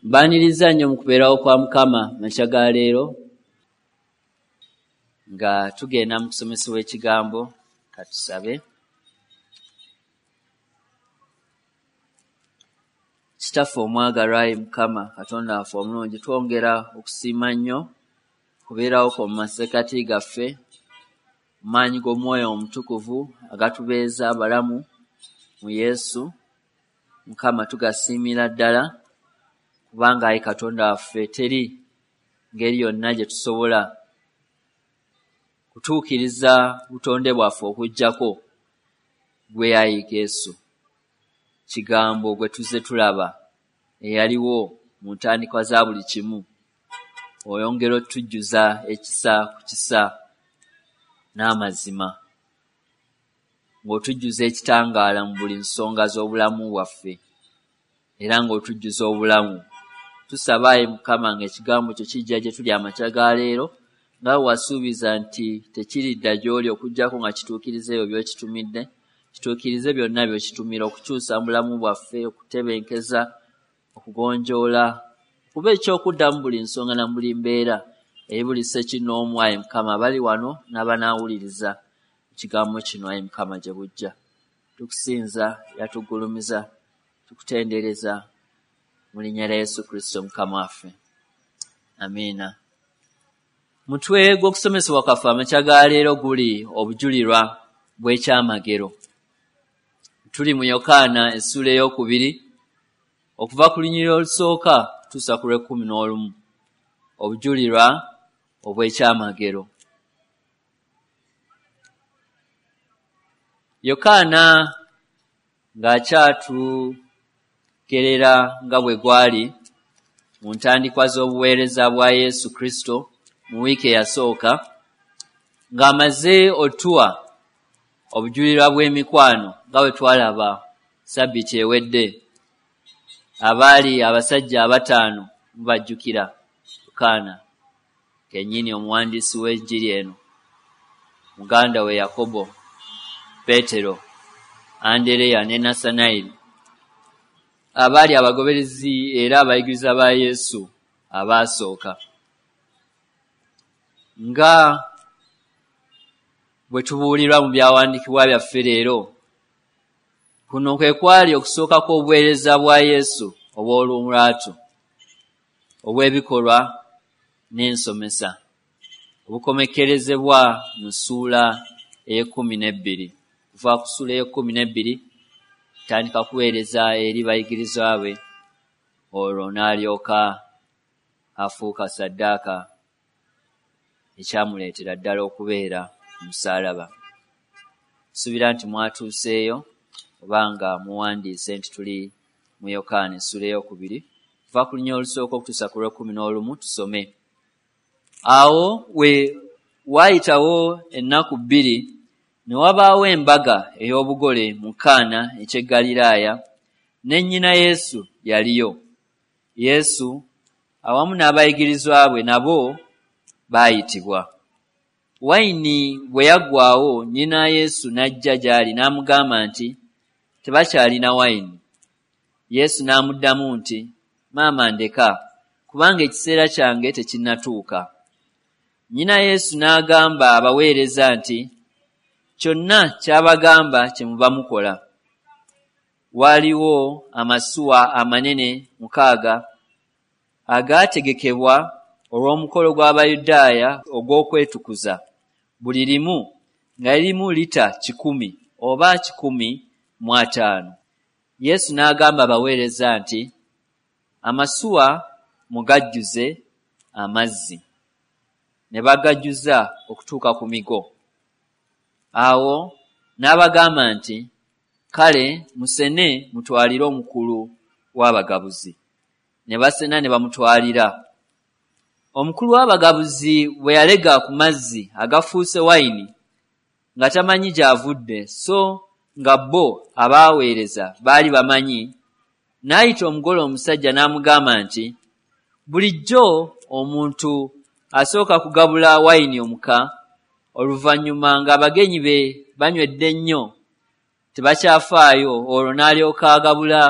Mbaniriza nnyo mu kubeerawo kwa Mukama makya ga leero nga tugenda mu kusomesebwa ekigambo. Katusabe. Kitaffe omwagalwa, ayi Mukama Katonda waffe omulungi, twongera okusiima nnyo kubeerawo kwo mu masekkati gaffe, mu maanyi g'Omwoyo Omutukuvu agatubeeza abalamu mu Yesu. Mukama, tugasiimira ddala kubanga ayi Katonda waffe teri ngeri yonna gye tusobola kutuukiriza butonde bwaffe okuggyako ggwe ayi Yesu, kigambo gwe tuzze tulaba eyaliwo mu ntandikwa za buli kimu. Oyongera otujjuza ekisa ku kisa n'amazima, ng'otujjuza ekitangaala mu buli nsonga z'obulamu bwaffe, era ng'otujjuza obulamu. Tusaba ayi Mukama ng'ekigambo kyo kijja gye tuli amakya ga leero, nga bwe wasuubiza nti tekiridda gy'oli okuggyako nga kituukiriza ebyo by'okitumidde. Kituukirize byonna by'okitumira okukyusa mu bulamu bwaffe, okutebenkeza, okugonjoola, okuba ekyokuddamu buli nsonga na buli mbeera eri buli ssekinnoomu ayi Mukama abali wano n'abanaawuliriza ekigambo kino ayi Mukama gye bujja. Tukusinza era tugulumiza, tukutendereza mu linnya lya Yesu Kristo Mukama waffe. Amiina. Mutwe gw'okusomesebwa kwaffe amakya ga leero guli obujulirwa bw'ekyamagero. Tuli mu Yokaana essuula 2 okuva ku lunyiriri olusooka kutuusa ku lw'e11. Obujulirwa obw'ekyamagero. Yokaana ng'akyatugerera nga bwe gwali mu ntandikwa z'obuweereza bwa Yesu Kristo mu wiiki eyasooka, ng'amaze otuwa obujulirwa bw'emikwano nga bwe twalaba sabbiiti ewedde. Abaali abasajja 5 mubajjukira, Yokaana kennyini omuwandiisi w'enjiri eno, muganda we Yakobo, Peetero, Andereya ne Nassanayiri, abaali abagoberezi era abayigiriza ba Yesu abaasooka. Nga bwe tubuulirwa mu byawandiikibwa byaffe leero, kuno kwe kwali okusooka kw'obuweereza bwa Yesu obw'olulwatu, obw'ebikolwa n'ensomesa, obukomekkerezebwa mu ssuula 12. Kuva ku ssuula 12 tandika kuweereza eri bayigirizwa be, olwo n'alyoka afuuka ssaddaaka ekyamuleetera ddala okubeera ku musaalaba. Nsuubira nti mwatuuseeyo obanga muwandiise nti tuli mu Yokaana essuula 2 kuva ku lunyiriri olusooka okutuusa ku lw'e11. Tusome. Awo we waayitawo ennaku 2 ne wabaawo embaga ey'obugole mu Kaana eky'e Ggaliraaya, ne nnyina Yesu yaliyo. Yesu awamu n'abayigirizwa bwe nabo baayitibwa. Wayini bwe yaggwaawo, nnyina Yesu n'ajja gy'ali n'amugamba nti, tebakyalina wayini. Yesu n'amuddamu nti, maama ndeka, kubanga ekiseera kyange tekinnatuuka. Nnyina Yesu n'agamba abaweereza nti, kyonna ky'abagamba kye muba mukola. Waaliwo amasuwa amanene 6 agaategekebwa olw'omukolo gw'Abayudaaya ogw'okwetukuza, buli limu nga lirimu lita 100 oba 150. Yesu n'agamba abaweereza nti, amasuwa mugajjuze amazzi. Ne bagajjuza okutuuka ku migo. Awo n'abagamba nti, kale musene mutwalire omukulu w'abagabuzi. Ne basena ne bamutwalira. Omukulu w'abagabuzi bwe yalega ku mazzi agafuuse wayini nga tamanyi gy'avudde, so nga bo abaaweereza baali bamanyi, n'ayita omugole omusajja n'amugamba nti, bulijjo omuntu asooka kugabula wayini omuka, oluvannyuma ng'abagenyi be banywedde nnyo tebakyafaayo, olwo n'alyoka agabula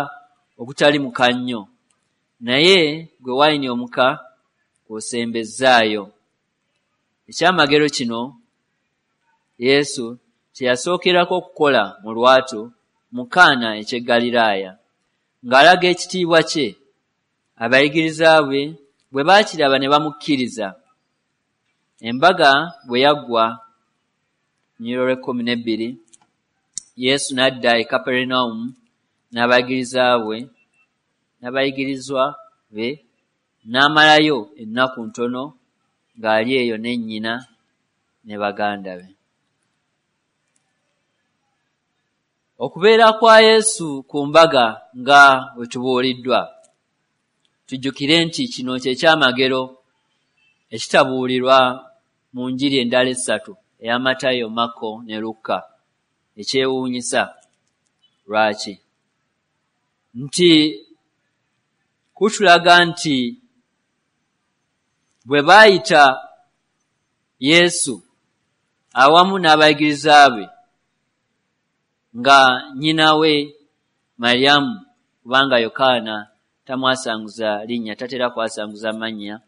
ogutali muka nnyo. Naye gwe wayini omuka gw'osembezzaayo. Ekyamagero kino Yesu kye yasookerako okukola mu lwatu mu Kaana eky'e Ggaliraaya, ng'alaga ekitiibwa kye. Abayigiriza be bwe baakiraba ne bamukkiriza. Embaga bwe yaggwa, lunyiriri olw'ekkumi n'ebbiri, Yesu n'adda e Kaperunawumu n'abayigirizwa be, n'amalayo ennaku ntono ng'ali eyo ne nnyina ne baganda be. Okubeera kwa Yesu ku mbaga nga bwe tubuuliddwa, tujjukire nti kino kye kyamagero ekitabuulirwa mu njiri endala essatu, eya Matayo, Makko ne Lukka. Ekyewuunyisa lwaki? Nti kutulaga nti bwe baayita Yesu awamu n'abayigiriza be nga nnyina we Mariyamu, kubanga Yokaana tamwasanguza linnya, tatera kwasanguza mannya,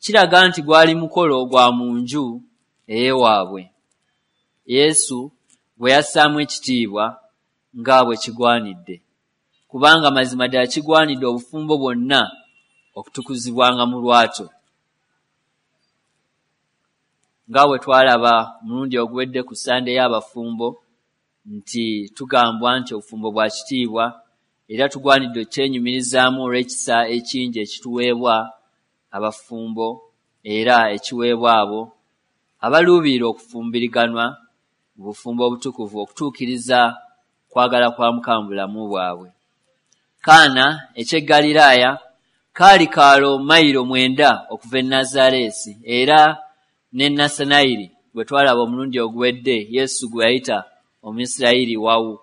kiraga nti gwali mukolo gwa mu nju ey'ewaabwe Yesu gwe yassaamu ekitiibwa nga bwe kigwanidde, kubanga mazima ddala kigwanidde obufumbo bwonna okutukuzibwanga mu lwatu. Nga bwe twalaba omulundi oguwedde ku Ssande y'abafumbo nti tugambwa nti obufumbo bwa kitiibwa era tugwanidde okukyenyumirizaamu olw'ekisa ekingi ekituweebwa abafumbo era ekiweebwa abo abaluubirira okufumbiriganwa mu bufumbo obutukuvu okutuukiriza kwagala kwa Mukama mu bulamu bwabwe. Kaana eky'e Ggaliraaya kaali kaalo mayiro 9 okuva e Nazaaleesi, era ne Nassanayiri gwe twalaba omulundi oguwedde Yesu gwe yayita Omuyisirayiri wawu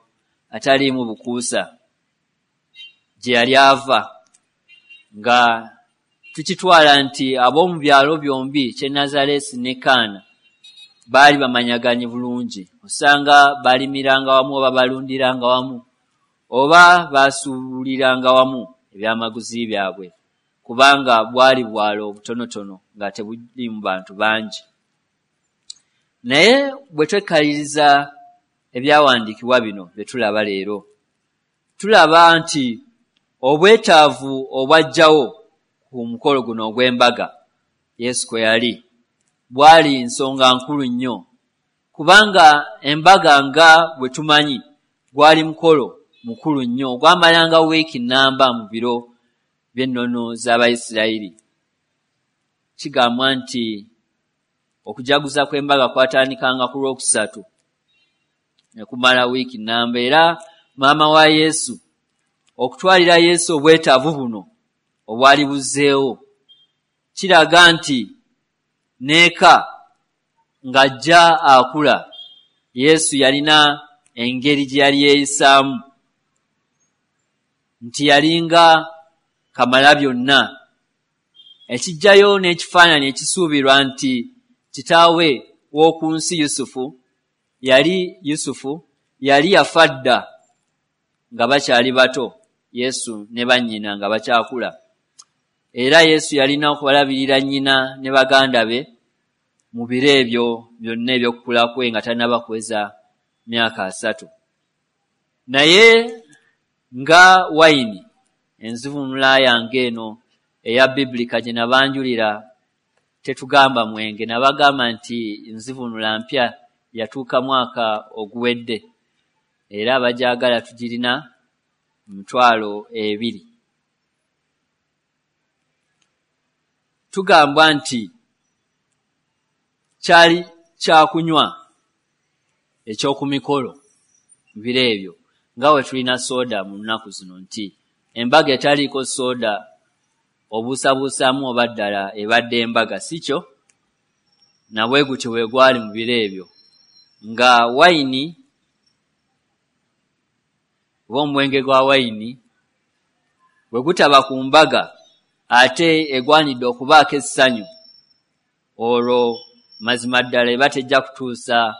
ataliimu bukuusa gye yali ava, nga tukitwala nti ab'omu byalo byombi ky'e Nazaaleesi ne Kaana baali bamanyaganye bulungi, osanga baalimiranga wamu oba balundiranga wamu oba baasuubuliranga wamu ebyamaguzi byabwe, kubanga bwali bwalo obutonotono nga tebuliimu bantu bangi. Naye bwe twekkaliriza ebyawandiikibwa bino bye tulaba leero, tulaba nti obwetaavu obwajjawo ku mukolo guno ogw'embaga Yesu kwe yali bwali nsonga nkulu nnyo, kubanga embaga nga bwe tumanyi gwali mukolo mukulu nnyo ogwamalanga wiiki nnamba mu biro by'ennono z'Abayisirayiri. Kigambwa nti okujaguza kw'embaga kwatandikanga ku Lwokusatu ne kumala wiiki nnamba, era maama wa Yesu okutwalira Yesu obwetaavu buno obwali buzzeewo kiraga nti n'eka ng'ajja akula Yesu yalina engeri gye yali yeeyisaamu, nti yalinga Kamalabyonna, ekijjayo n'ekifaananyi ekisuubirwa nti kitaawe w'oku nsi Yusufu yali yafa dda nga bakyali bato, Yesu ne bannyina nga bakyakula, era Yesu yalina okubalabirira nnyina ne baganda be mu biro ebyo byonna eby'okukula kwe nga tannaba kuweza myaka 30. Naye nga wayini, enzivuunula yange eno eya Biblica gye nabanjulira tetugamba mwenge, nabagamba nti nzivuunula mpya, yatuuka mwaka oguwedde, era abagyagala tugirina 20,000. Tugambwa nti kyali kyakunywa eky'oku mikolo mu biro ebyo, nga bwe tulina sooda mu nnaku zino, nti embaga etaliiko sooda obuusabuusaamu oba ddala ebadde embaga, si kyo? Na bwe gutyo bwe gwali mu biro ebyo, nga wayini oba omwenge gwa wayini bwe gutaba ku mbaga ate egwanidde okubaako essanyu, olwo mazima ddala eba tejja kutuusa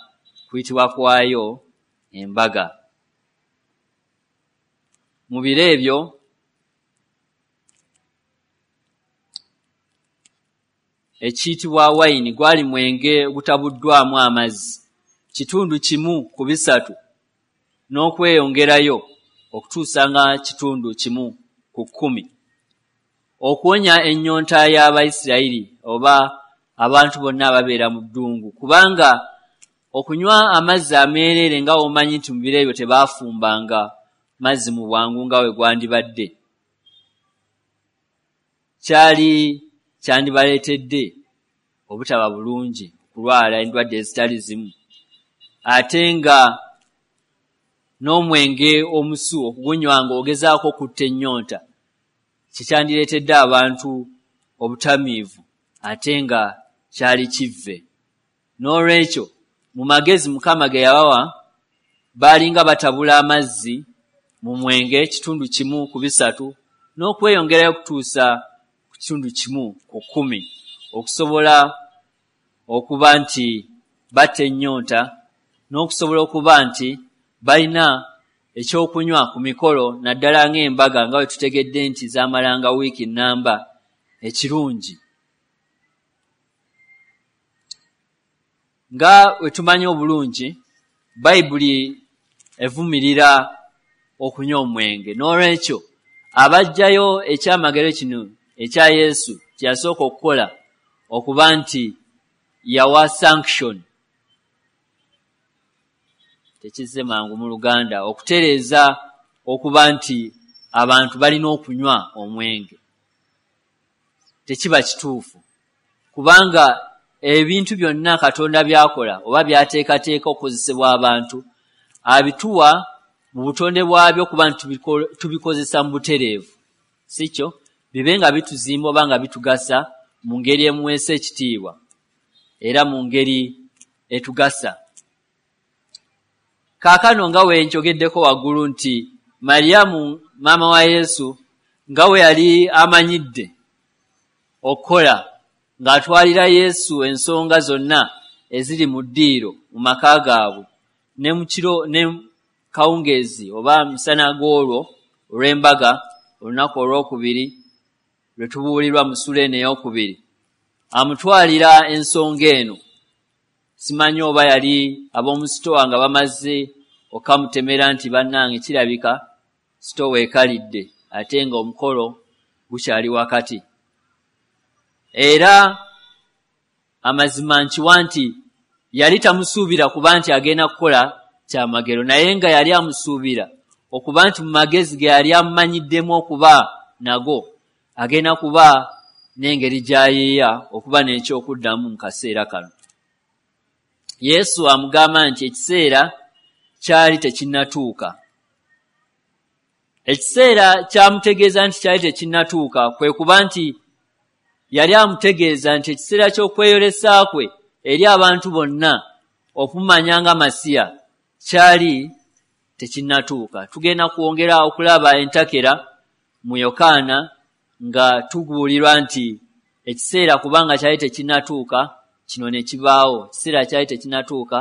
kuyitibwa kwayo embaga. Mu biro ebyo ekiyitibwa wayini, gwali mwenge ogutabuddwamu amazzi, 1 ku 3 n'okweyongerayo okutuusa nga 1 ku 10, okuwonya ennyonta y'Abayisirayiri oba abantu bonna ababeera mu ddungu. Kubanga okunywa amazzi ameereere, nga womanyi nti mu biro ebyo tebaafumbanga mazzi mu bwangu nga we gwandibadde, kyali kyandibaleetedde obutaba bulungi, okulwala endwadde ezitali zimu. Ate nga n'omwenge omusu okugunywa ng'ogezaako okutta ennyonta kikyandireetedde abantu obutamiivu, ate nga kyali kivve. N'olwekyo mu magezi Mukama ge yabawa, baalinga batabula amazzi mu mwenge 1 ku 3 n'okweyongerayo okutuusa ku 1 ku 10, okusobola okuba nti batta ennyonta n'okusobola okuba nti balina ekyokunywa ku mikolo, naddala ng'embaga nga bwe tutegedde nti zaamalanga wiiki nnamba ekirungi. Nga bwe tumanyi obulungi, Bayibuli evumirira okunywa omwenge. N'olwekyo abaggyayo ekyamagero kino ekya Yesu kye yasooka okukola, okuba nti yawa sanction, tekizze mangu mu Luganda, okutereeza okuba nti abantu balina okunywa omwenge, tekiba kituufu. Kubanga ebintu byonna Katonda by'akola oba by'ateekateeka okukozesebwa abantu, abituwa mu butonde bwabyo okuba nti tubikozesa mu butereevu, si kyo? Bibe nga bituzimba oba nga bitugasa mu ngeri emuweesa ekitiibwa era mu ngeri etugasa. Kaakano nga we nkyogeddeko waggulu nti Mariyamu maama wa Yesu nga we yali amanyidde okukola ng'atwalira Yesu ensonga zonna eziri mu ddiiro mu maka gaabwe, ne mu kiro ne kawungeezi oba misana g'olwo olw'embaga, olunaku olwokubiri lwe tubuulirwa mu ssuula eno ey'okubiri, amutwalira ensonga eno. Simanyi oba yali ab'omu sitowa nga bamaze okamutemera nti bannange kirabika sitowa ekalidde ate nga omukolo gukyali wakati. Era amazima nkiwa nti yali tamusuubira kuba nti agenda kukola kyamagero, naye nga yali amusuubira okuba nti mu magezi ge yali amumanyiddemu okuba nago agenda kuba n'engeri gy'ayiiya okuba n'ekyokuddamu mu kaseera kano. Yesu amugamba nti ekiseera kyali tekinnatuuka. Ekiseera kyamutegeeza nti kyali tekinnatuuka kwe kuba nti yali amutegeeza nti ekiseera ky'okweyolesa kwe eri abantu bonna okumanya nga Masiya kyali tekinnatuuka. Tugenda kwongera okulaba entakera mu Yokaana nga tubuulirwa nti ekiseera kubanga kyali tekinnatuuka kino ne kibaawo, ekiseera kyali tekinnatuuka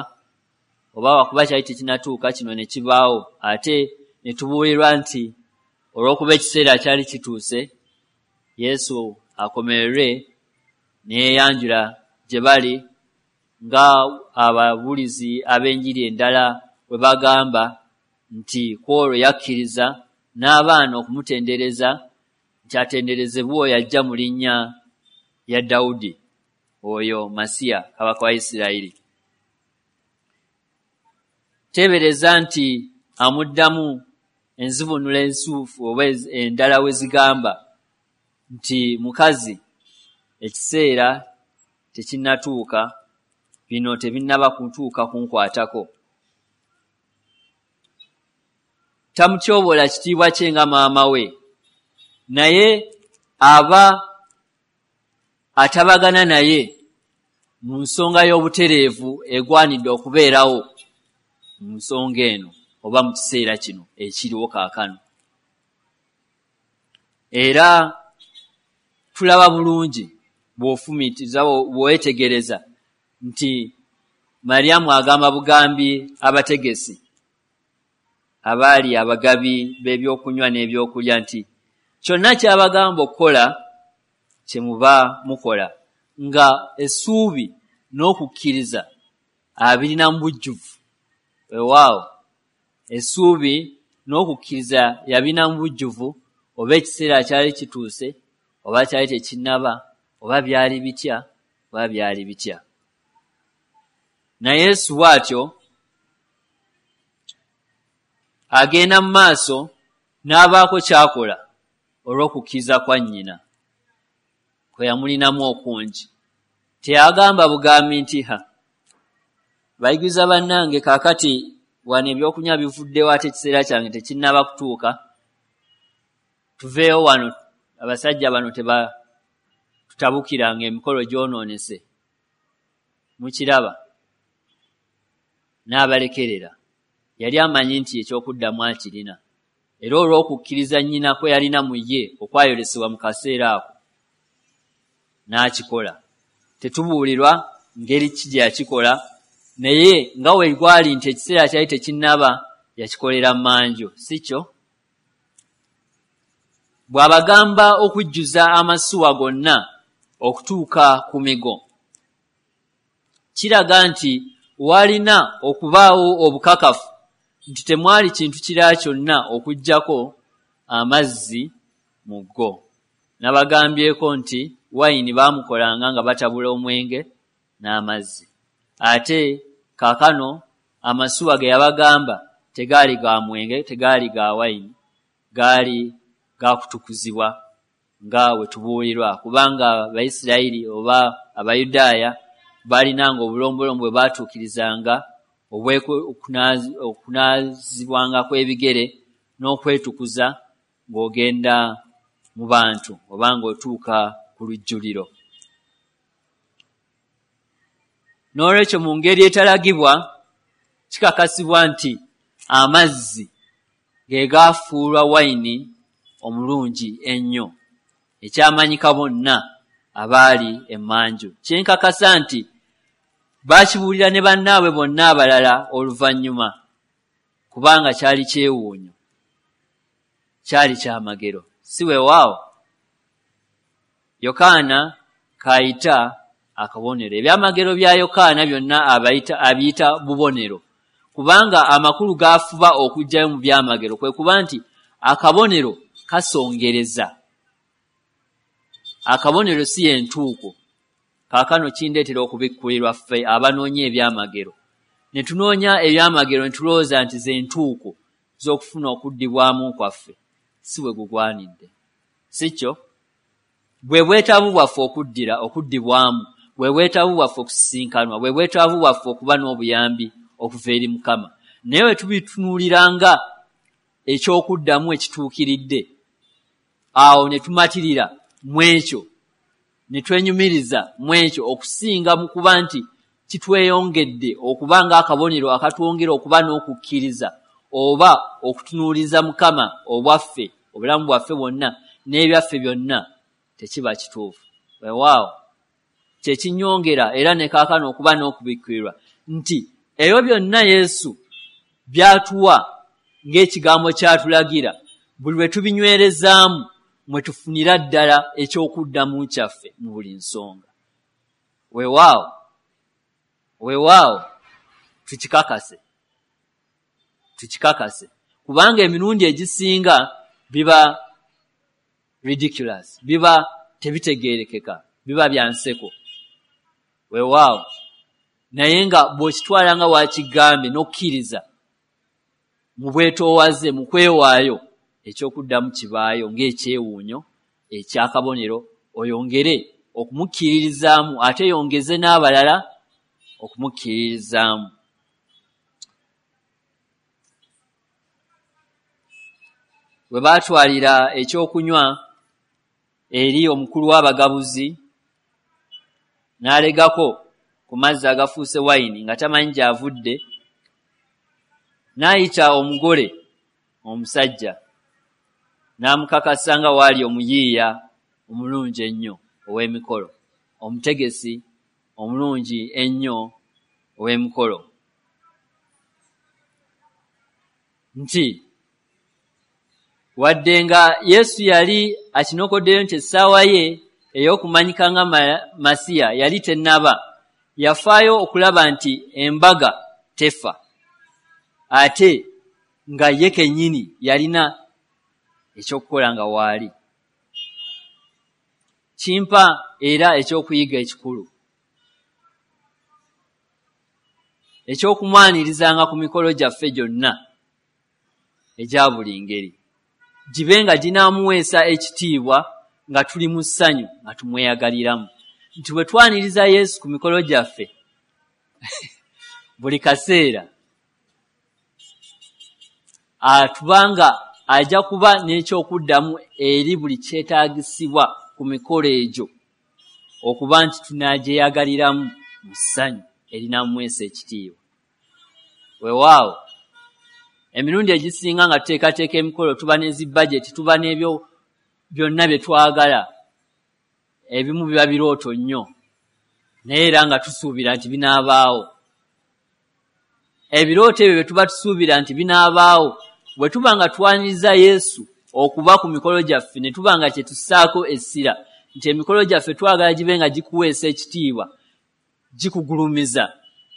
oba wakuba kyali tekinnatuuka kino ne kibaawo, ate ne tubuulirwa nti olw'okuba ekiseera kyali kituuse Yesu akomererwe ne yeeyanjula gye bali nga ababuulizi ab'enjiri endala bwe bagamba nti ku olwo yakkiriza n'abaana okumutendereza nti atenderezebwe oyo ajja mu linnya lya Dawudi, oyo Masiya kabaka wa Isirayiri. Teebereza nti amuddamu enzivuunula ensuufu oba endala we zigamba nti mukazi ekiseera tekinnatuuka, bino tebinnaba kutuuka kunkwatako. Tamutyoboola kitiibwa kye nga maama we, naye aba atabagana naye mu nsonga y'obutereevu egwanidde okubeerawo mu nsonga eno oba mu kiseera kino ekiriwo kaakano. Era tulaba bulungi bw'ofumiitiriza, bw'oweetegereza nti Mariyamu agamba bugambi abategesi abaali abagabi b'ebyokunywa n'ebyokulya nti kyonna ky'abagamba okukola kye muba mukola. nga essuubi n'okukkiriza abirina mu bujjuvu. Weewaawo, essuubi n'okukkiriza yabirina mu bujjuvu, oba ekiseera kyali kituuse oba kyali tekinnaba, oba byali bitya oba byali bitya. Naye Yesu bw'atyo agenda mu maaso n'abaako ky'akola olw'okukkiriza kwa nnyina kwe yamulinamu okungi. Teyagamba bugambi nti, ha, bayigiriza bannange, kaakati wano ebyokunywa bivuddewo ate ekiseera kyange tekinnaba kutuuka, tuveewo wano, abasajja bano tebatutabukiranga, emikolo gyonoonese. Mukiraba? N'abalekerera. Yali amanyi nti ekyokuddamu akirina, era olw'okukkiriza nnyina kwe yalina mu ye okwayolesebwa mu kaseera ako n'akikola. Tetubuulirwa ngeri ki gye yakikola, naye nga we gwali nti ekiseera kyali tekinnaba, yakikolera mmanju, si kyo? Bw'abagamba okujjuza amasuwa gonna okutuuka ku migo, kiraga nti walina okubaawo obukakafu nti temwali kintu kirala kyonna okuggyako amazzi mu go. Nabagambyeko nti wayini baamukolanga nga batabula omwenge n'amazzi. Ate kaakano amasuwa ge yabagamba tegaali ga mwenge, tegaali ga wayini, gaali gakutukuzibwa nga we tubuulirwa, kubanga Abayisirayiri oba Abayudaaya baalinanga obulombolombo bwe baatuukirizanga okunaazibwanga kw'ebigere n'okwetukuza ng'ogenda mu bantu oba ng'otuuka ku lujjuliro. N'olwekyo mu ngeri etalagibwa kikakasibwa nti amazzi ge gaafuulwa wayini omulungi ennyo, ekyamanyika bonna abaali emmanju. Kyenkakasa nti baakibuulira ne bannaabwe bonna abalala oluvannyuma, kubanga kyali kyewuunyo, kyali kyamagero. Si weewaawo? Yokaana k'ayita akabonero. Ebyamagero bya Yokaana byonna abiyita bubonero, kubanga amakulu g'afuba okuggyayo mu byamagero kwe kuba nti akabonero kasongereza. Akabonero si y'entuuko. Kaakano kindeetera okubikkulirwa ffe abanoonya ebyamagero. Ne tunoonya ebyamagero ne tulowooza nti ze ntuuko z'okufuna okuddibwamu kwaffe. Si bwe gugwanidde. Si kyo? Bwe bwetaavu bwaffe okuddibwamu, bwe bwetaavu bwaffe okusisinkanwa, bwe bwetaavu bwaffe okuba n'obuyambi okuva eri Mukama. Naye bwe tubitunuulira nga ekyokuddamu ekituukiridde, awo ne tumatirira mu ekyo, ne twenyumiriza mu ekyo okusinga mu kuba nti kitweyongedde okuba ng'akabonero akatwongera okuba n'okukkiriza oba okutunuuliza Mukama obwaffe, obulamu bwaffe bwonna n'ebyaffe byonna, tekiba kituufu. Weewaawo, kye kinnyongera era ne kaakano okuba n'okubikkulirwa nti ebyo byonna Yesu by'atuwa ng'ekigambo ky'atulagira, buli lwe tubinywerezaamu mwe tufunira ddala ekyokuddamu kyaffe mu buli nsonga. Weewaawo, weewaawo, tukikakase, tukikakase, kubanga emirundi egisinga biba ridiculous, biba tebitegeerekeka, biba bya nseko. Weewaawo, naye nga bw'okitwala nga w'akigambye n'okkiriza mu bwetoowaze, mu kwewaayo, ekyokuddamu kibaayo ng'ekyewuunyo eky'akabonero, oyongere okumukkiririzaamu ate yongeze n'abalala okumukkiririzaamu. Bwe baatwalira ekyokunywa eri omukulu w'abagabuzi, n'alegako ku mazzi agafuuse wayini nga tamanyi gy'avudde, n'ayita omugole omusajja n'amukakasa nga waali omuyiiya omulungi ennyo ow'emikolo, omutegesi omulungi ennyo ow'emikolo, nti wadde nga Yesu yali akinokoddeyo nti essaawa ye ey'okumanyika nga Masiya yali tennaba, yafaayo okulaba nti embaga tefa, ate nga ye kennyini yalina ekyokukola nga waali. Kimpa era ekyokuyiga ekikulu ekyokumwanirizanga ku mikolo gyaffe gyonna egya buli ngeri, gibe nga ginaamuweesa ekitiibwa nga tuli mu ssanyu nga tumweyagaliramu. Nti bwe twaniriza Yesu ku mikolo gyaffe buli kaseera, atubanga ajja kuba n'ekyokuddamu eri buli kyetaagisibwa ku mikolo egyo, okuba nti tunagyeyagaliramu mu ssanyu erinaamuweesa ekitiibwa. Weewaawo emirundi egisinga nga tuteekateeka emikolo tuba ne zi bajeti, tuba n'ebyo byonna bye twagala, ebimu biba birooto nnyo, naye era nga tusuubira nti binaabaawo. Ebirooto ebyo bye tuba tusuubira nti binaabaawo, bwe tuba nga twaniriza Yesu okuba ku mikolo gyaffe, ne tuba nga kye tussaako essira nti emikolo gyaffe twagala gibe nga gikuweesa ekitiibwa, gikugulumiza,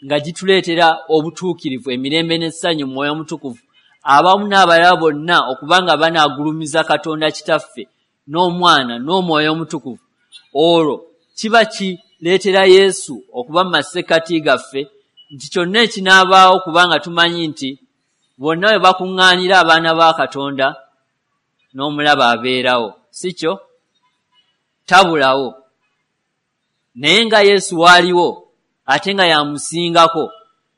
nga gituleetera obutuukirivu, emirembe n'essanyu mu Mwoyo Omutukuvu, abamu n'abalala bonna okuba nga banaagulumiza Katonda Kitaffe n'Omwana n'Omwoyo Omutukuvu, olwo kiba kireetera Yesu okuba mu masekkati gaffe nti kyonna ekinaabaawo, kubanga tumanyi nti bonna we bakuŋŋaanira abaana ba Katonda n'omulaba abeerawo, si kyo? Tabulawo. Naye nga Yesu waaliwo ate nga yamusingako,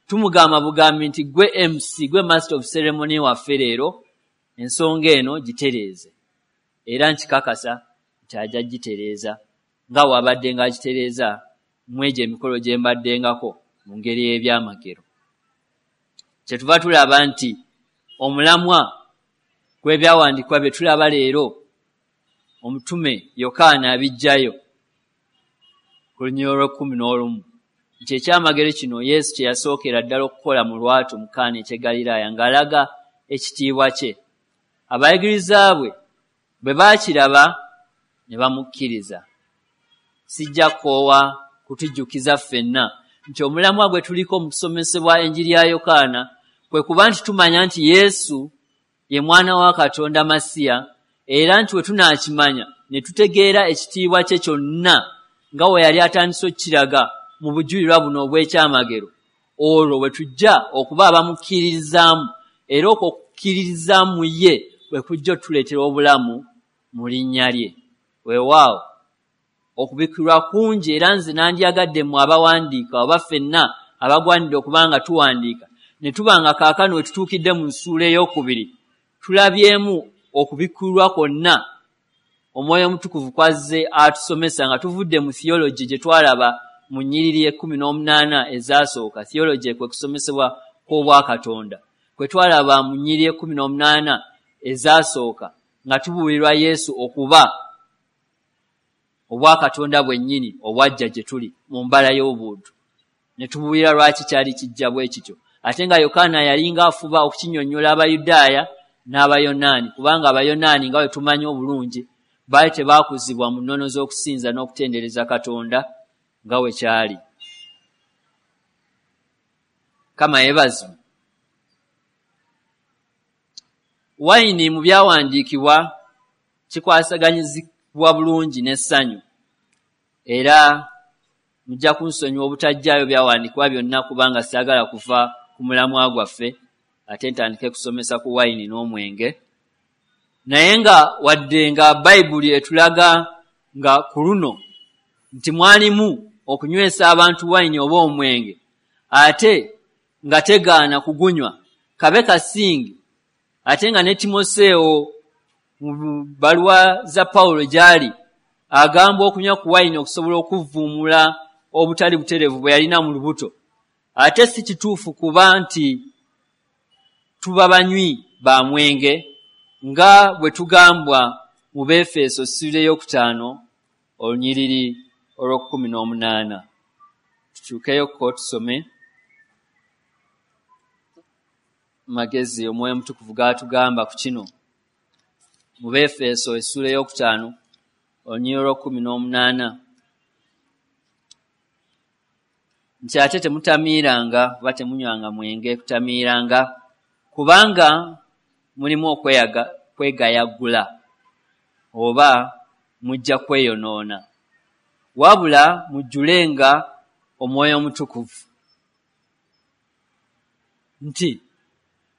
tumugamba bugambi nti gwe MC, gwe master of ceremony waffe leero, ensonga eno gitereeze. Era nkikakasa nti ajja gitereeza nga bw'abadde ng'agitereeza mu egyo emikolo gye mbaddengako mu ngeri y'ebyamagero. Kyetuva tulaba nti omulamwa gw'ebyawandiikibwa bye tulaba leero, omutume Yokaana abiggyayo ku lunyiriri olw'ekkumi n'olumu nti ekyamagero kino Yesu kye yasookera ddala okukola mu lwatu mu Kaana eky'e Ggaliraaya ng'alaga ekitiibwa kye. Abayigiriza bwe bwe baakiraba ne bamukkiriza. Sijja kukoowa kutujjukiza ffenna nti omulamwa gwe tuliko mu kusomesebwa enjiri ya Yokaana kwe kuba nti tumanya nti Yesu ye mwana wa Katonda Masiya, era nti we tunaakimanya ne tutegeera ekitiibwa kye kyonna nga we yali atandise okukiraga mu bujulirwa buno obw'ekyamagero, olwo we tujja okuba abamukkiririzaamu, era okwo okukkiririzaamu mu ye bwe kujja otuleetera obulamu mu linnya lye. Weewaawo okubikkulirwa kungi, era nze nandyagadde mmwe abawandiika oba ffenna abagwanidde okuba nga tuwandiika ne tuba nga kaakano we tutuukidde mu ssuula ey'okubiri tulabyemu okubikkulirwa kwonna Omwoyo Omutukuvu kwazze atusomesa nga tuvudde mu theology gye twalaba mu nnyiriri 18 ezasooka. Theology kwe kusomesebwa kw'Obwakatonda kwe twalaba mu nnyiriri 18 ezasooka nga tubuulirwa Yesu okuba Obwakatonda bwennyini obwajja gye tuli mu mbala y'obuntu, ne tubuulira lwaki kyali kijja bwe kityo, ate nga Yokaana yalinga afuba okukinnyonnyola Abayudaaya n'Abayonaani, kubanga Abayonaani nga bwe tumanyi obulungi baali tebaakuzibwa mu nnono z'okusinza n'okutendereza Katonda nga bwe kyali. Mukama yeebazibwe. Wayini mu byawandiikibwa kikwasaganyizibwa bulungi n'essanyu, era mujja kunsonyiwa obutajjaayo byawandiikibwa byonna kubanga saagala kuva ku mulamwa gwaffe ate ntandike kusomesa ku wayini n'omwenge. Naye nga wadde nga Bayibuli etulaga nga ku luno nti mwalimu okunywesa abantu wayini oba omwenge, ate nga tegaana kugunywa kabe kasinge, ate nga ne Timoseewo mu bbaluwa za Pawulo gy'ali agamba okunywa ku wayini okusobola okuvvuumula obutali butereevu bwe yalina mu lubuto, ate si kituufu kuba nti tuba banywi ba mwenge nga bwe tugambwa mu Befeso ssuula 5 olunyiriri olw'18. Tukyukeyokko tusome magezi Omwoyo Omutukuvu g'atugamba ku kino mu Befeso essuula 5 olunyiriri lw'okumu n'ekitundu nti ate temutamiiranga oba temunywanga mwenge kutamiiranga, kubanga mulimu okwegayagula oba mujja kweyonoona, wabula mujjulenga Omwoyo Omutukuvu. Nti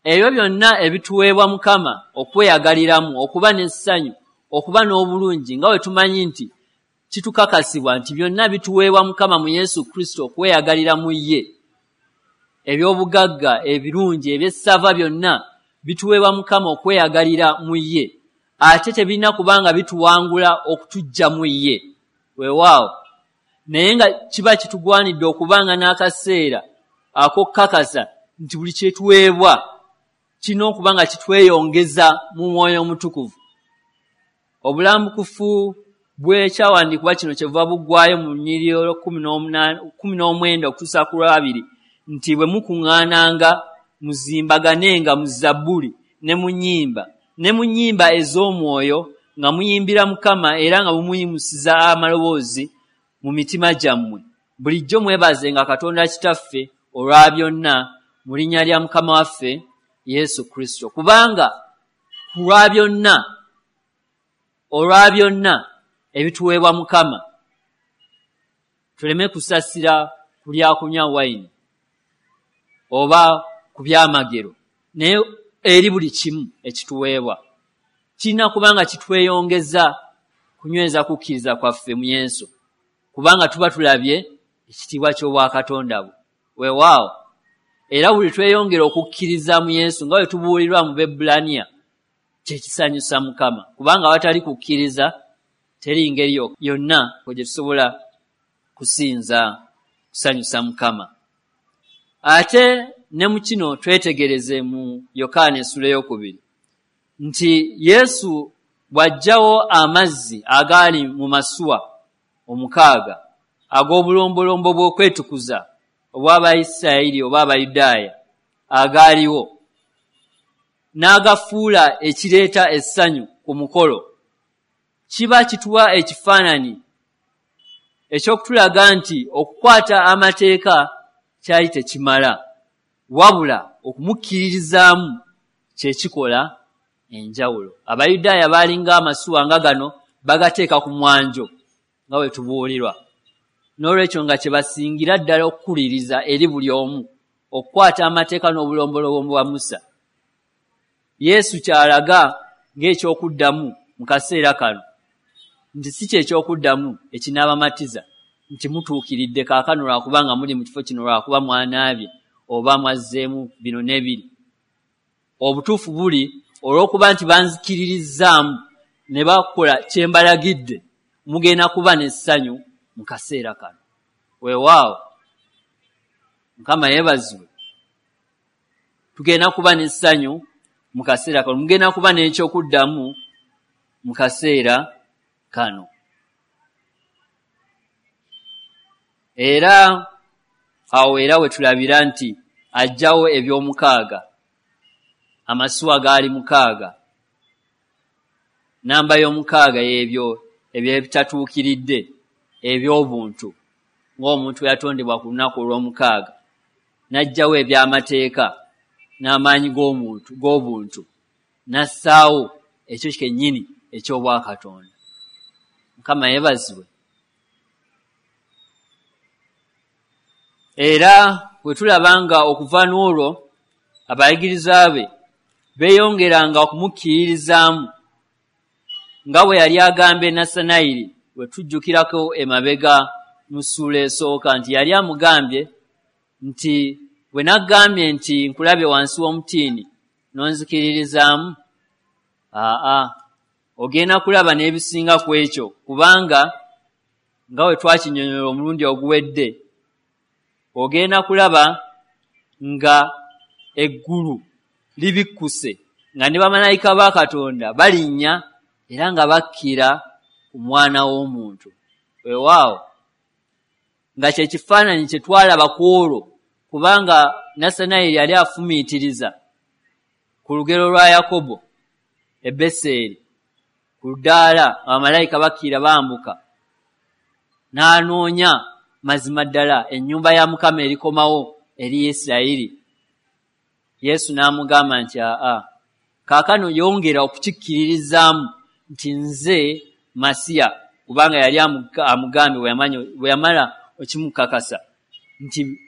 ebyo byonna ebituweebwa Mukama okweyagaliramu, okuba n'essanyu, okuba n'obulungi, nga bwe tumanyi nti kitukakasibwa nti byonna bituweebwa Mukama mu Yesu Kristo okweyagalira mu ye. Ebyobugagga ebirungi ebyessava byonna bituweebwa Mukama okweyagalira mu ye, ate tebirina kubanga bituwangula okutujja mu ye. Weewaawo, naye nga kiba kitugwanidde okubanga n'akaseera ak'okukakasa nti buli kyetuweebwa kirina okuba nga kitweyongeza mu Mwoyo Omutukuvu. Obulambukufu bw'ekyawandiikibwa kino kyebuva buggwayo mu lunyiriri olw'okumu n'omwenda okutuusa ku lwabiri nti bwe mukuŋŋaananga, muzimbaganenga mu zabbuli ne mu nnyimba ne mu nnyimba ez'omwoyo, nga muyimbira Mukama era nga mumuyimusiza amaloboozi mu mitima gyammwe. Bulijjo mwebazenga Katonda Kitaffe olwa byonna mu linnya lya Mukama waffe Yesu Kristo. Kubanga ku lwa byonna, olwa byonna ebituweebwa Mukama, tuleme kusasira ku lyakunywa wayini oba ku byamagero, naye eri buli kimu ekituweebwa kirina kubanga kitweyongeza kunyweza kukkiriza kwaffe mu Yesu, kubanga tuba tulabye ekitiibwa ky'obwakatonda bwe. Weewaawo, era buli tweyongera okukkiriza mu Yesu nga bwe tubuulirwa mu Bebbulaniya, kyekisanyusa Mukama, kubanga awatali kukkiriza teri ngeri yonna gye tusobola kusinza kusanyusa Mukama. Ate ne mu kino twetegereze mu Yokaana essula ey'okubiri nti Yesu bw'aggyawo amazzi agaali mu masuwa 6 ag'obulombolombo bw'okwetukuza obw'Abayisirayiri oba Abayudaaya agaaliwo, n'agafuula ekireeta essanyu ku mukolo, kiba kituwa ekifaananyi eky'okutulaga nti okukwata amateeka kyali tekimala, wabula okumukkiririzaamu kyekikola enjawulo. Abayudaaya baalinga amasuwa nga gano bagateeka ku mwanjo nga bwe tubuulirwa, n'olwekyo nga kye basingira ddala okukuliriza eri buli omu okukwata amateeka n'obulombolombo bwa Musa. Yesu kyalaga ng'ekyokuddamu mu kaseera kano nti si kyekyokuddamu ekinaabamatiza nti mutuukiridde kaakano lwakubanga muli mu kifo kino, lwakuba mwanaabye oba mwazzeemu bino n'ebiri. Obutuufu buli olw'okuba nti banzikiririzaamu ne bakola kye mbalagidde, mugenda kuba n'essanyu mu kaseera kano. Weewaawo, Mukama yeebazibwe. Tugenda kuba n'essanyu mu kaseera kano, mugenda kuba n'ekyokuddamu mu kaseera kano. Era awo era we tulabira nti aggyawo eby'omukaaga. Amasuwa gaali 6. Namba y'omukaaga y'ebyo ebyebitatuukiridde eby'obuntu, ng'omuntu yatondebwa ku lunaku olw'omukaaga, n'aggyawo eby'amateeka n'amaanyi g'omuntu g'obuntu, n'assaawo ekyo kennyini eky'obwakatonda. Mukama yeebazibwe. Era bwe tulaba nga okuva n'olwo abayigiriza be beeyongeranga okumukkiririzaamu, nga bwe yali agambye Nasanayiri, bwe tujjukirako emabega mu ssuula esooka nti yali amugambye nti bwe naggambye nti nkulabye wansi w'omutiini n'onzikiririzaamu, aa, ogenda kulaba n'ebisinga ku ekyo, kubanga nga bwe twakinnyonnyola omulundi oguwedde, ogenda kulaba nga eggulu libikkuse, nga ne bamalayika ba Katonda balinnya era nga bakkira ku Mwana w'Omuntu. Weewaawo, nga kye kifaananyi kye twalaba ku olwo, kubanga Nasanayiri yali afumiitiriza ku lugero lwa Yakobo e Beseeri. ku ddaala, abamalayika bakkira bambuka, n'anoonya mazima ddala ennyumba ya Mukama erikomawo eri Isirayiri. Yesu n'amugamba nti aa, kaakano yongera okukikkiririzaamu nti nze Masiya, kubanga yali amugambye bwe yamala okimukakasa nti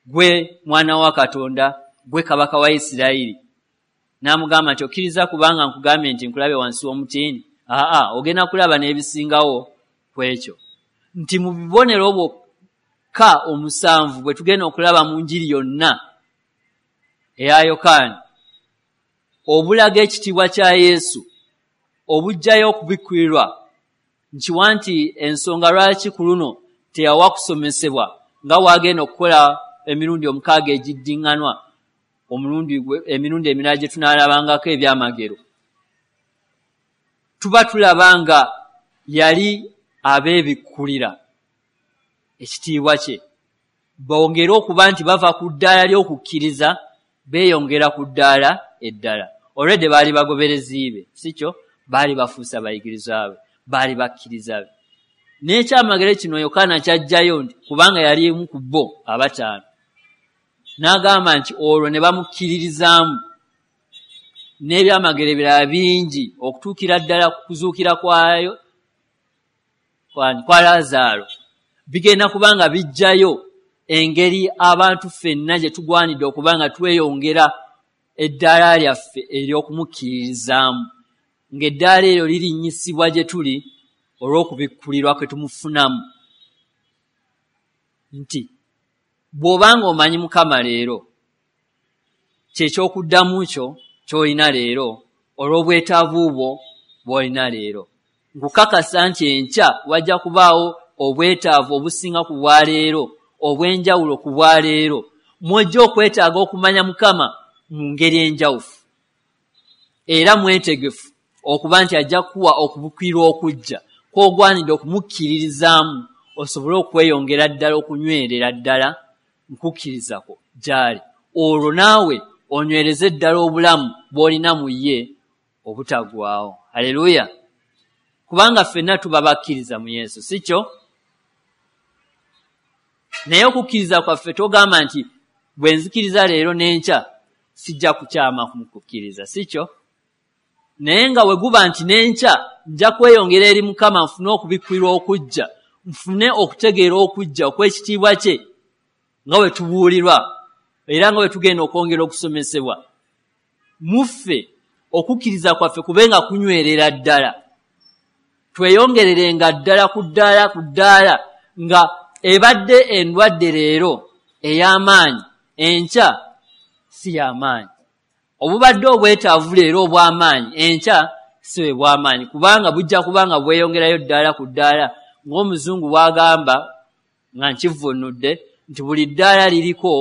gwe mwana wa Katonda, gwe kabaka wa Isirayiri. N'amugamba nti okkiriza kubanga nkugambye nti nkulabe wansi w'omutiini? Aa, ogenda kulaba n'ebisingawo ku ekyo. Nti mu bubonero bwokka omusanvu bwe tugenda okulaba mu njiri yonna eya Yokaana, obulaga ekitiibwa kya Yesu, obuggyayo okubikkulirwa, nkiwa nti ensonga lwaki ku luno teyawa kusomesebwa nga bw'agenda okukola emirundi 6 egiddiŋŋanwa, emirundi emirala gye tunaalabangako ebyamagero. Tuba tulaba nga yali abeebikkulira ekitiibwa kye, bongere okuba nti bava ku ddaala ly'okukkiriza beeyongera ku ddaala eddala. Olwedde baali bagoberezi be, si kyo? Baali bafuuse abayigirizwa be, baali bakkiriza be. N'ekyamagero kino Yokaana ky'aggyayo nti kubanga yali omu ku bo abataano, n'agamba nti olwo ne bamukkiririzaamu n'ebyamagero ebirala bingi okutuukira ddala ku kuzuukira kwayo kwa Laazaalo. Bigenda kubanga biggyayo engeri abantu ffenna gye tugwanidde okuba nga tweyongera eddaala lyaffe ery'okumukkiririzaamu, ng'eddaala eryo lirinnyisibwa gye tuli olw'okubikkulirwa kwe tumufunamu. Nti bw'obanga omanyi Mukama leero, kye ky'okuddamu kyo ky'olina leero olw'obwetaavu bwo bw'olina leero. Nkukakasa nti enkya wajja kubaawo obwetaavu obusinga ku bwa leero, obw'enjawulo ku bwa leero, mw'ojja okwetaaga okumanya Mukama mu ngeri enjawufu, era mwetegefu okuba nti ajja kuwa okubikkulirwa okujja kw'ogwanidde okumukkiririzaamu osobole okweyongera ddala okunywerera ddala nkukkiriza kwo gy'ali, olwo naawe onywereze ddala obulamu bw'olina mu ye obutaggwaawo. Haleluya! Kubanga ffenna tuba bakkiriza mu Yesu, si kyo? Naye okukkiriza kwaffe togamba nti bwe nzikiriza leero n'enkya sijja kukyama mu kukkiriza, si kyo? Naye nga bwe guba nti n'enkya nja kweyongera eri Mukama nfune okubikkulirwa okujja, nfune okutegeera okujja okw'ekitiibwa kye nga bwe tubuulirwa era nga bwe tugenda okwongera okusomesebwa, muffe okukkiriza kwaffe kube nga kunywerera ddala, tweyongererenga ddala ku ddaala ku ddaala, nga ebadde endwadde leero ey'amaanyi enkya si y'amaanyi, obubadde obwetaavu leero obw'amaanyi enkya si bwe bw'amaanyi, kubanga bujja kubanga bweyongerayo ddaala ku ddaala, ng'omuzungu bw'agamba nga nkivvuunudde nti buli ddaala liriko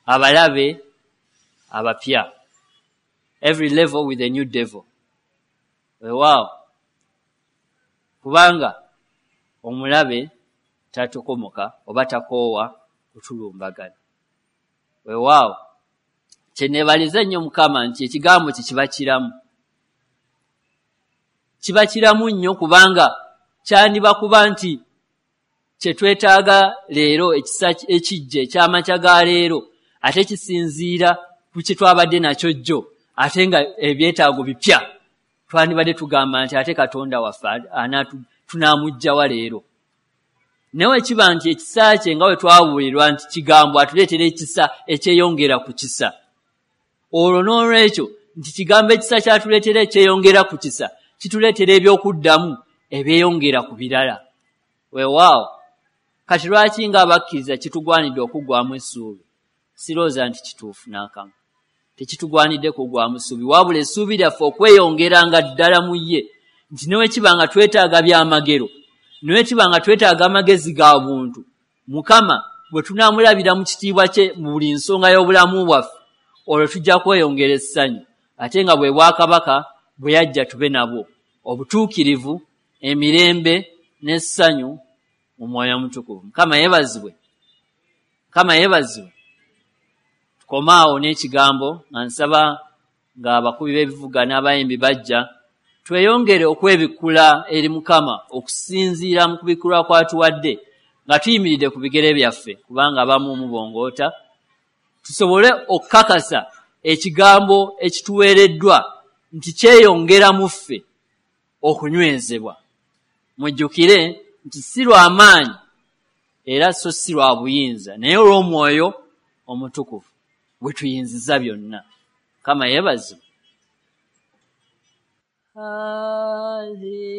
abalabe abapya. Every level with a new devil. Weewaawo, kubanga omulabe tatokomoka oba takoowa kutulumbagana. Weewaawo, kye neebaliza ennyo Mukama nti ekigambo kye kiba kiramu, kiba kiramu nnyo, kubanga kyandiba kuba nti kye twetaaga leero, ekisa ekijja eky'amakya ga leero, ate kisinziira ku kye twabadde nakyo jjo, ate nga ebyetaago bipya, twandibadde tugamba nti ate Katonda waffe tunaamuggyawa leero. Naye bwe kiba nti ekisa kye nga bwe twabuulirwa nti kigambo atuleetera ekisa ekyeyongera ku kisa, olwo n'olwekyo nti kigambo ekisa kyatuleetera ekyeyongera ku kisa kituleetera ebyokuddamu ebyeyongera ku birala. Weewaawo, kati lwaki ng'abakkiriza kitugwanidde okuggwaamu essuubi? Sirowooza nti kituufu n'akamu. Tekitugwanidde kuggwaamu ssuubi, wabula essuubi lyaffe okweyongeranga ddala mu ye, nti ne bwe kiba nga twetaaga byamagero, ne bwe kiba nga twetaaga amagezi ga buntu, Mukama bwe tunaamulabira mu kitiibwa kye mu buli nsonga y'obulamu bwaffe, olwo tujja kweyongera essanyu, ate nga bwe bwakabaka bwe yajja tube nabwo, obutuukirivu, emirembe n'essanyu mu Mwoyo Omutukuvu. Mukama yeebazibwe. Mukama yeebazibwe. Tukomaawo n'ekigambo nga nsaba ng'abakubi b'ebivuga n'abayimbi bajja. Tweyongere okwebikkula eri Mukama okusinziira mu kubikkulwa kw'atuwadde nga tuyimiridde ku bigere byaffe, kubanga abamu mubongoota, tusobole okukakasa ekigambo ekituweereddwa nti kyeyongera mu ffe okunywezebwa. Mujjukire nti si lwa maanyi era so si lwa buyinza, naye olw'Omwoyo Omutukuvu bwe tuyinziza byonna. Mukama yeebazibwe. Haleluya.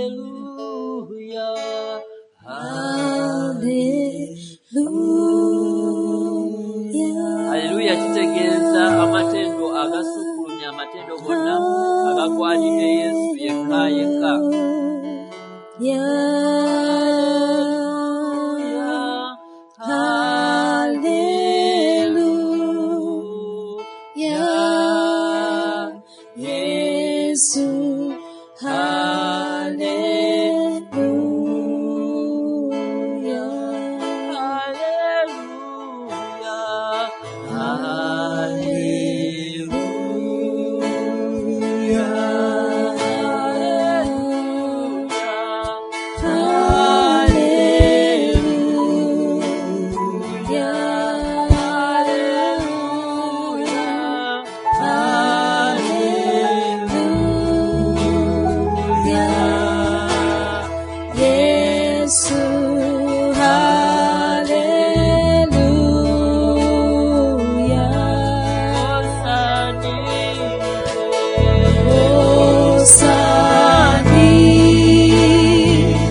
Haleluya. Haleluya kitegeeza amatendo agasukkulumya amatendo gonna agagwanidde Yesu yekka yekka. Haleluya. Yesu, haleluya. Haleluya. Haleluya. Haleluya. Haleluya. Yesu, haleluya. Osanite,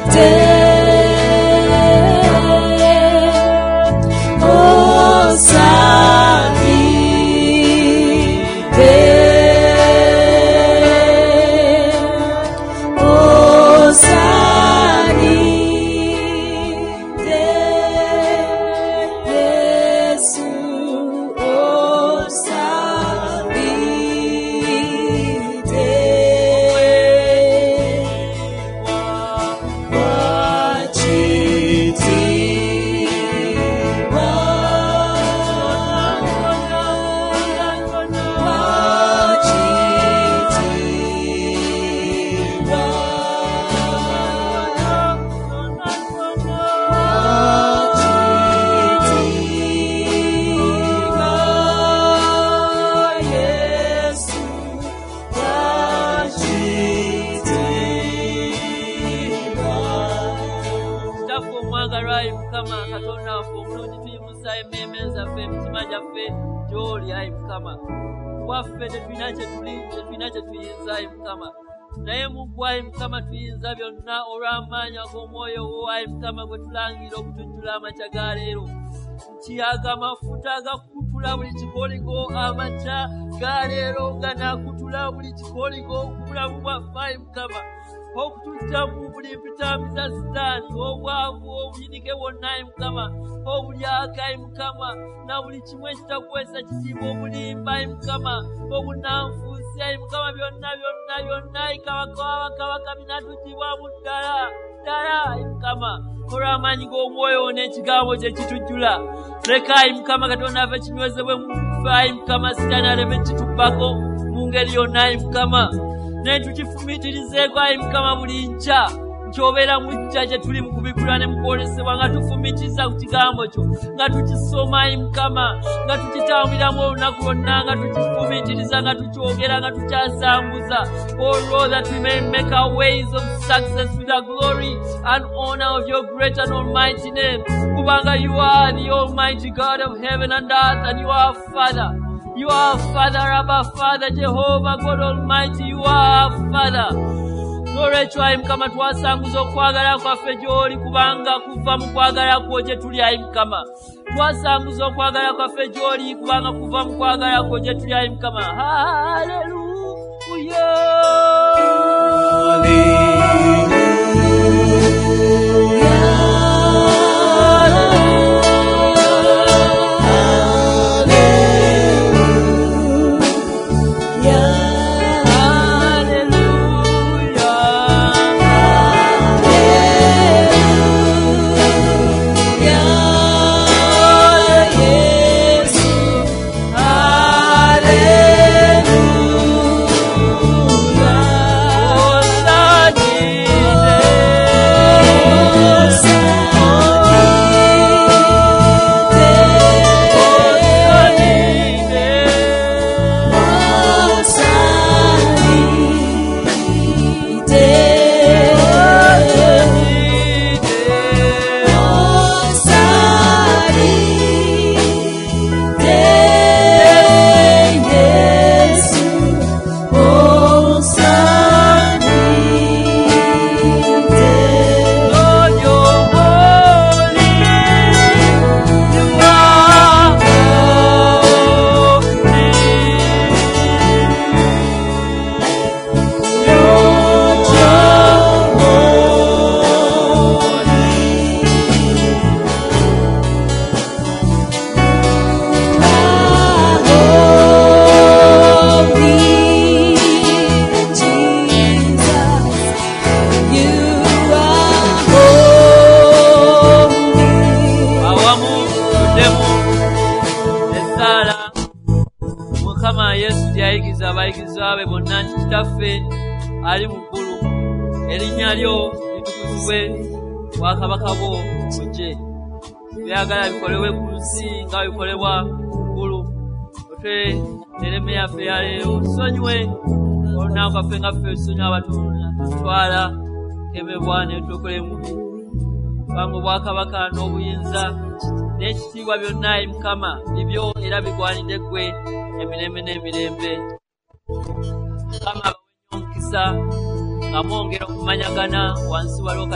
osanite, osanite, Yesu, osanite. Wachitiwa, wachitiwa, wachitiwa, Yesu, wachitiwa. Kitaffe omwagalwa ayi Mukama Katonda waffe omulungi, tuyimusa emmeeme zaffe, emitima gyaffe gy'oli ayi Mukama. Waffe tetulina kye tuli, tetulina kye tuyinza ayi Mukama, naye mu ggwe ayi Mukama tuyinza byonna olw'amaanyi ag'Omwoyo wo ayi Mukama gwe tulangira okutujjula amakya ga leero. Nti ago amafuta agakutula buli kikoligo amakya ga leero ganaakutula buli kikoligo ku bulamu bwaffe ayi Mukama, okutujja mu buli mpitambi za Sitaani, obwavu, obuyinike bwonna ayi Mukama, obulyaka ayi Mukama, na buli kimu ekitakuweesa kitiibwa, obulimba ayi Mukama, obunanfuusi ayi Mukama, byonna byonna byonna ayi Kabaka w'abakabaka binatuggyibwamu ddala ddala ayi Mukama, olw'amaanyi g'Omwoyo n'ekigambo kye kitujjula. Leka ayi Mukama Katonda waffe kinywezebwe mu ffe ayi Mukama, Sitaani aleme kitubbako mu ngeri yonna ayi Mukama, naye tukifumiitirizeeko ayi Mukama buli nkya nti obeera mujja gye tuli mu kubikkulwa ne mu kwolesebwa, nga tufumiitiriza ku kigambo kyo, nga tukisoma ayi Mukama, nga tukitambuliramu olunaku lwonna, nga tukifumiitiriza, nga tukyogera, nga tukyasambuza. Oh Lord, that we may make our ways of success with the glory and honor of your great and almighty name. Kubanga you are the almighty God of heaven and earth, and you are our Father. You are our Father, Abba Father, Jehovah God Almighty, you are our Father. N'olwekyo ayi Mukama twasanguza okwagala kwaffe gy'oli, kubanga kuva mu kwagala kwo gye tuli ayi Mukama. Twasanguza okwagala kwaffe gy'oli, kubanga kuva mu kwagala kwo gye tuli ayi Mukama. Haleluya. Haleluya. Haleluya. yayigiriza abayigirizwa be bonna nti, Kitaffe ali mu ggulu, erinnya lyo litukuzibwe, obwakabaka bwo bujje. Byagala bikolebwe ku nsi nga bwe bikolebwa mu ggulu. Otuwe emmere yaffe ya leero, tusonyiwe olunaku lwaffe nga ffe tusonyiwa abatutwala kemebwa ne tukole mubi. Kubanga obwakabaka n'obuyinza n'ekitiibwa byonna, ayi Mukama, bibyo era bigwanidde ggwe emirembe n'emirembe. Mukama abawe nnyo omukisa nga mwongera okumanyagana wansi waliwo.